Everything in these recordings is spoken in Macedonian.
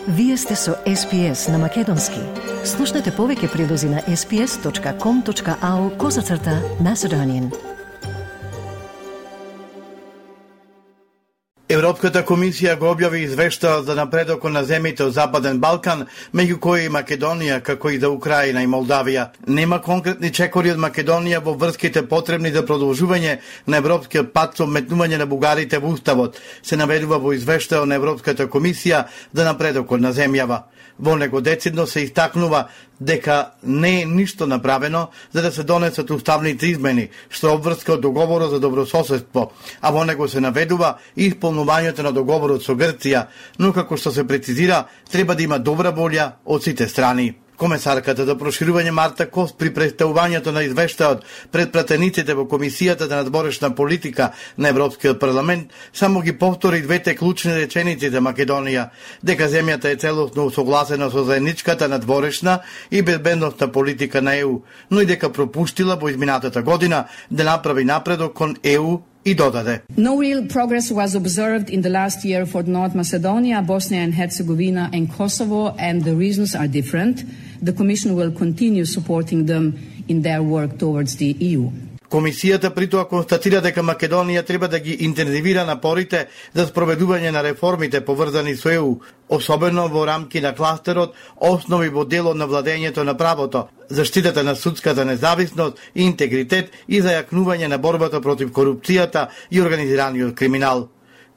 Вие сте со SPS на Македонски. Слушнете повеќе прилози на sps.com.au/Macedonian. Европската комисија го објави извештајот за напредокот на земјите од Западен Балкан, меѓу кои и Македонија, како и за Украина и Молдавија. Нема конкретни чекори од Македонија во врските потребни за продолжување на европскиот пат со вметнување на бугарите во уставот, се наведува во извештајот на Европската комисија за напредокот на земјава. Во него децидно се истакнува дека не е ништо направено за да се донесат уставните измени, што обврска од договорот за добрососедство, а во него се наведува и исполнувањето на договорот со Грција, но како што се прецизира, треба да има добра волја од сите страни. Комесарката за проширување Марта Кост при представувањето на извештајот пред пратениците во Комисијата за надворешна политика на Европскиот парламент само ги повтори двете клучни реченици за Македонија, дека земјата е целосно согласена со заедничката надворешна и безбедносна политика на ЕУ, но и дека пропуштила во изминатата година да направи напредок кон ЕУ и додаде. No real progress was observed in the last year for North Macedonia, Bosnia and Herzegovina and Kosovo, and the reasons are different. The Commission will continue supporting them in their work towards the EU. Комисијата притоа констатира дека Македонија треба да ги интензивира напорите за спроведување на реформите поврзани со ЕУ, особено во рамки на кластерот, основи во делот на владењето на правото, заштитата на судската независност и интегритет и зајакнување на борбата против корупцијата и организираниот криминал.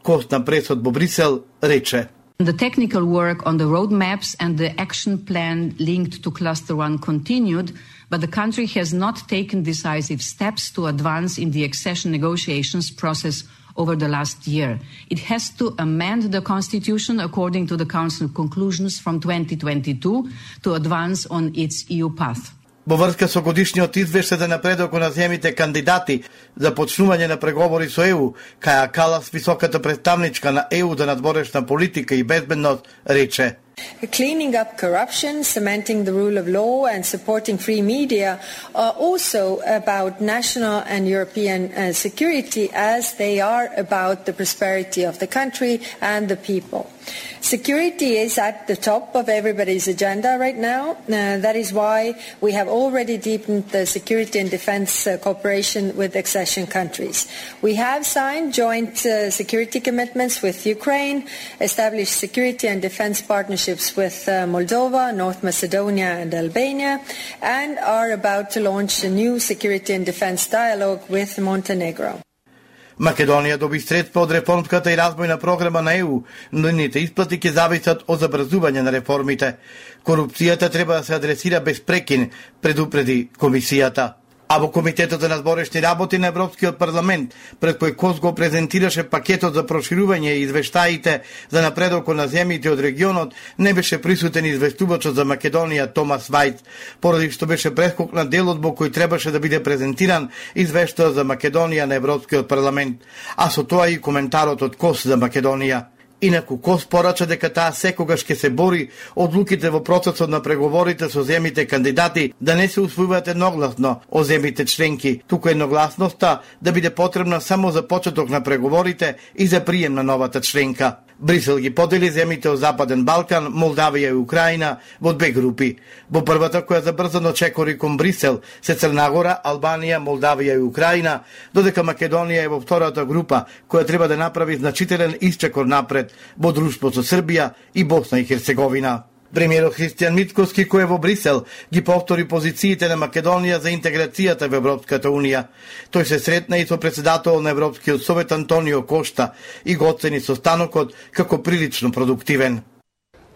Кост на пресот во Брисел рече: The technical work on the roadmaps and the action plan linked to Cluster 1 continued, but the country has not taken decisive steps to advance in the accession negotiations process over the last year. It has to amend the constitution according to the Council conclusions from 2022 to advance on its EU path. Во врска со годишниот извештај за напредокот на земјите кандидати за почнување на преговори со ЕУ, Каја Калас, високата представничка на ЕУ за надворешна политика и безбедност, рече: Cleaning up corruption, cementing the rule of law and supporting free media are also about national and European security, as they are about the prosperity of the country and the people. Security is at the top of everybody's agenda right now. That is why we have already deepened the security and defense cooperation with accession countries. We have signed joint security commitments with Ukraine, established security and defense partnerships with Moldova, North Macedonia and Albania, and are about to launch a new security and defense dialogue with Montenegro. Македонија доби средства од реформската и развојна програма на ЕУ, но нивните исплати ќе зависат од забрзување на реформите. Корупцијата треба да се адресира без прекин, предупреди комисијата. А во Комитетот за надворешни работи на Европскиот парламент, пред кој Кос го презентираше пакетот за проширување и извештаите за напредокот на земјите од регионот, не беше присутен известувачот за Македонија Томас Вајц, поради што беше прескокнат делот во кој требаше да биде презентиран извештајот за Македонија на Европскиот парламент, а со тоа и коментарот од Кос за Македонија. Инаку Кос порача дека таа секогаш ќе се бори одлуките во процесот на преговорите со земјите кандидати да не се усвојуваат едногласно од земјите членки, туку едногласноста да биде потребна само за почеток на преговорите и за прием на новата членка. Брисел ги подели земјите од Западен Балкан, Молдавија и Украина во две групи. Во првата, која забрзано чекори кон Брисел, се Црна Гора, Албанија, Молдавија и Украина, додека Македонија е во втората група, која треба да направи значителен исчекор напред во друштво со Србија и Босна и Херцеговина. Премиерот Христијан Мицкоски, кој е во Брисел, ги повтори позициите на Македонија за интеграцијата во Европската Унија. Тој се сретна и со председател на Европскиот совет Антонио Кошта и го оцени состанокот како прилично продуктивен.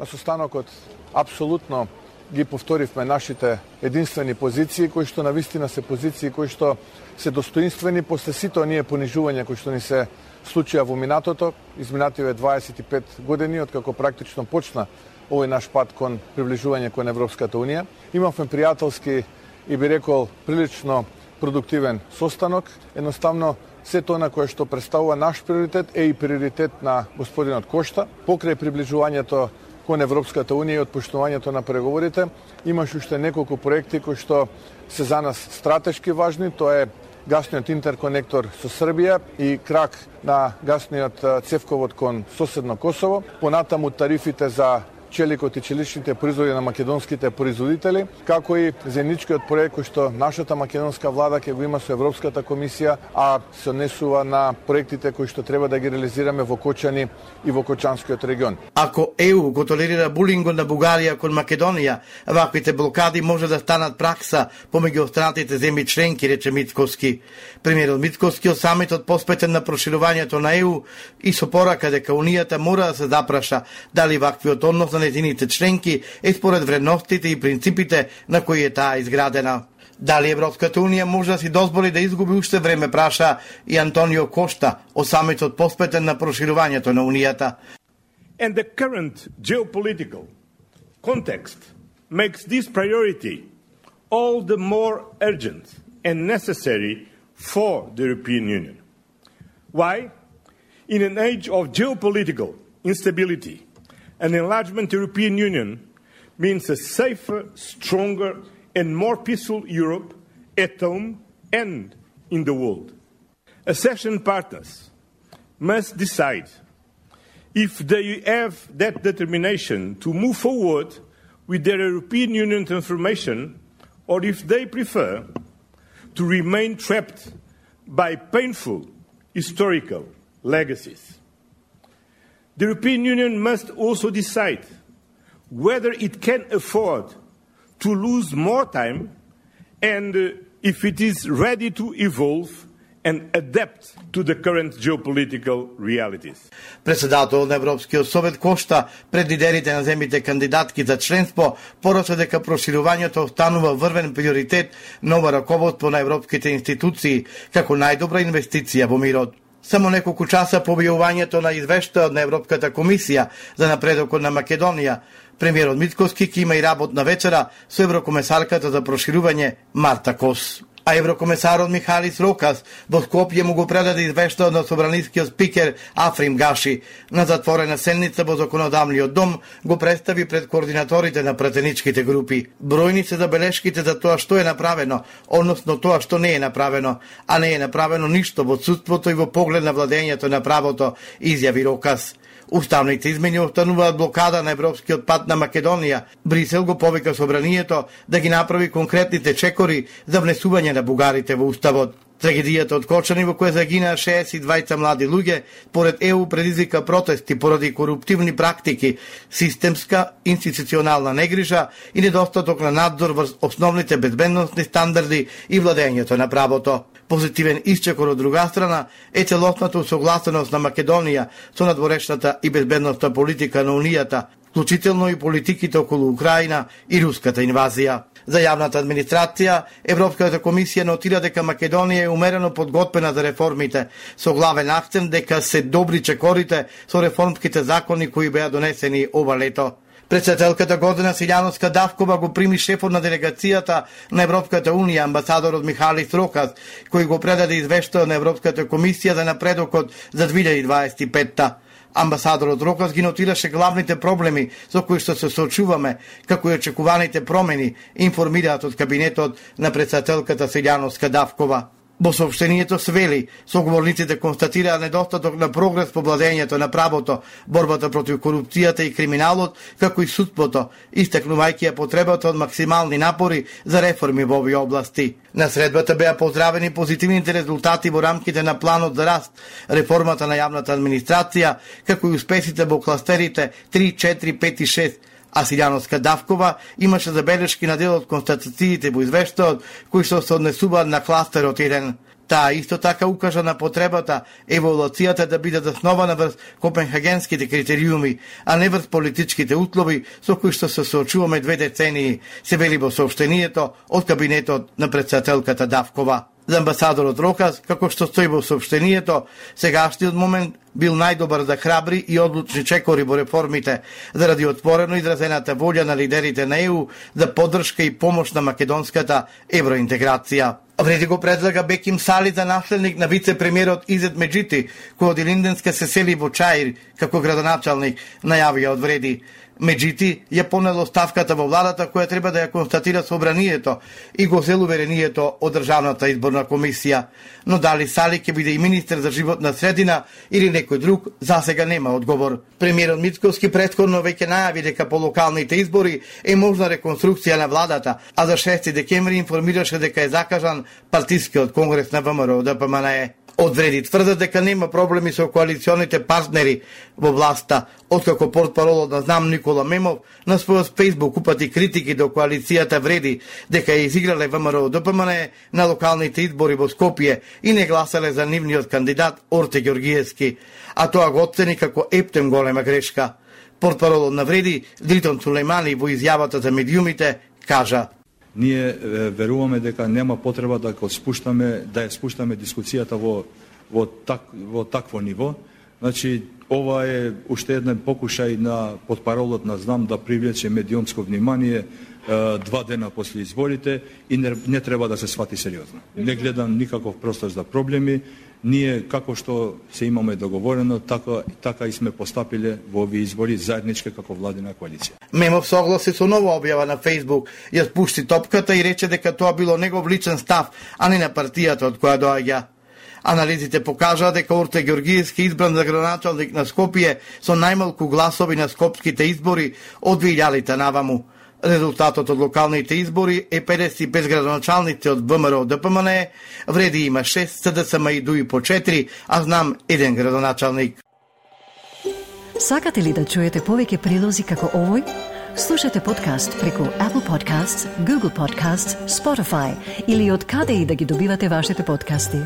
На состанокот апсолутно ги повторивме нашите единствени позиции, кои што навистина се позиции кои што се достоинствени после сите оние понижувања кои што ни се случија во минатото, изминативе 25 години, откако практично почна овој наш пат кон приближување кон Европската Унија. Имавме пријателски и би рекол прилично продуктивен состанок. Едноставно, се тоа на кое што представува наш приоритет е и приоритет на господинот Кошта. Покрај приближувањето кон Европската Унија и отпуштувањето на преговорите, имаш уште неколку проекти кои што се за нас стратешки важни. Тоа е гасниот интерконектор со Србија и крак на гасниот цевковод кон соседно Косово. Понатаму тарифите за челикот и челичните производи на македонските производители, како и заедничкиот проект кој што нашата македонска влада ќе го има со Европската комисија, а се однесува на проектите кои што треба да ги реализираме во Кочани и во Кочанскиот регион. Ако ЕУ го толерира булингот на Бугарија кон Македонија, ваквите блокади може да станат пракса помеѓу останатите земји членки, рече Мицкоски. Премиерот Мицкоски од самитот посветен на проширувањето на ЕУ и со порака дека Унијата мора да се запраша дали ваквиот однос на незините членки е според вредностите и принципите на кои е таа изградена. Дали Европската Унија може да си дозволи да изгуби уште време, праша и Антонио Кошта од самитот посветен на проширувањето на Унијата. And the current geopolitical context makes this priority all the more urgent and necessary for the European Union. Why? In an age of geopolitical instability, an enlargement European Union means a safer, stronger and more peaceful Europe at home and in the world. Accession partners must decide if they have that determination to move forward with their European Union transformation or if they prefer to remain trapped by painful historical legacies. The European Union must also decide whether it can afford to lose more time and if it is ready to evolve and adapt to the current geopolitical realities. Председател на Европскиот совет Кошта пред лидерите на земјите кандидатки за членство порача дека проширувањето останува врвен приоритет на ова раководство на европските институции како најдобра инвестиција во мирот. Само неколку часа по објавувањето на извештајот на Европската комисија за напредокот на Македонија, премиерот Мицкоски ќе има и работна вечера со еврокомесарката за проширување Марта Кос. А еврокомесарот Михалис Рокас во Скопје му го предаде извештајот на собранискиот спикер Африм Гаши. На затворена седница во законодавниот дом го представи пред координаторите на пратеничките групи. Бројни се забелешките за тоа што е направено, односно тоа што не е направено, а не е направено ништо во отсуството и во поглед на владењето на правото, изјави Рокас. Уставните измени остануваат блокада на европскиот пат на Македонија. Брисел го повика собранието да ги направи конкретните чекори за внесување на бугарите во уставот. Трагедијата од Кочани во која загинаа 62 млади луѓе, поред ЕУ предизвика протести поради коруптивни практики, системска институционална негрижа и недостаток на надзор врз основните безбедносни стандарди и владењето на правото. Позитивен исчекор од друга страна е целосната усогласеност на Македонија со надворешната и безбедностна политика на Унијата, вклучително и политиките околу Украина и руската инвазија. За јавната администрација, Европската комисија нотира дека Македонија е умерено подготвена за реформите, со главен акцент дека се добри чекорите со реформските закони кои беа донесени ова лето. Председателката Гордана Силјановска Давкова го прими шефот на делегацијата на Европската Унија, амбасадорот Михалис Рокас, кој го предаде извештај на Европската комисија за напредокот за 2025-та. Амбасадорот Рокас ги нотираше главните проблеми со кои што се соочуваме, како и очекуваните промени, информираат од кабинетот на председателката Силјановска Давкова. Во соопштението се вели, соговорниците констатираа недостаток на прогрес по владењето на правото, борбата против корупцијата и криминалот, како и судството, истакнувајќи ја потребата од максимални напори за реформи во овие области. На средбата беа поздравени позитивните резултати во рамките на планот за раст, реформата на јавната администрација, како и успесите во кластерите 3, 4, 5 и 6, а Силјановска Давкова имаше забелешки на дел од констатациите во извештајот кои што се однесуваат на кластерот 1. Таа исто така укажа на потребата еволуцијата да биде заснована врз копенхагенските критериуми, а не врз политичките услови со кои што се соочуваме 2 децении, се вели во соопштението од кабинетот на председателката Давкова. За амбасадорот Рокас, како што стои во соопштението, сегашниот момент бил најдобар за храбри и одлучни чекори во реформите, заради отворено изразената волја на лидерите на ЕУ за поддршка и помош на македонската евроинтеграција. Вреди го предлага Беким Сали за наследник на вице-премиерот Изет Меджити, кој од Илинденска се сели во Чаир како градоначалник, најавија од Вреди. Меджити ја понел оставката во владата која треба да ја констатира собранието и го зел уверението од Државната изборна комисија. Но дали Сали ќе биде и министер за животна средина или некој друг засега нема одговор. Премиерот Мицкоски претходно веќе најави дека по локалните избори е можна реконструкција на владата, а за 6 декември информираше дека е закажан партискиот конгрес на ВМРО ДПМНЕ. Одвреди тврдат дека нема проблеми со коалиционите партнери во власта, откако портпаролот на Знам Никола Мемов на својот Facebook упати критики до коалицијата вреди дека ја изиграле ВМРО ДПМНЕ на локалните избори во Скопје и не гласале за нивниот кандидат Орте Ѓоргиевски, а тоа го оцени како ептем голема грешка. Портпаролот на вреди Дритон Сулејмани во изјавата за медиумите кажа: Ние веруваме дека нема потреба да ја спуштаме дискусијата во такво ниво. Значи, ова е уште еден покушај на портпаролот на Знам да привлече медиумско внимание 2 дена после изборите и не треба да се свати сериозно. Не гледам никаков простор за проблеми. Ние, како што се имаме договорено, така и сме постапиле во овие избори заеднички како владина коалиција. Мемов согласи со нова објава на Facebook, ја спушти топката и рече дека тоа било негов личен став, а не на партијата од која доаѓа. Анализите покажаа дека Орте Ѓоргиевски избран за градоначалник на Скопје со најмалку гласови на скопските избори од 2000-та наваму. Резултатот од локалните избори е 55 градоначалници од ВМРО ДПМНЕ, вреди има 6, СДСМ и ДУИ по 4, а Знам 1 градоначалник. Сакате ли да чуете повеќе прилози како овој? Слушате подкаст преку Apple Podcasts, Google Podcasts, Spotify или од каде и да ги добивате вашите подкасти.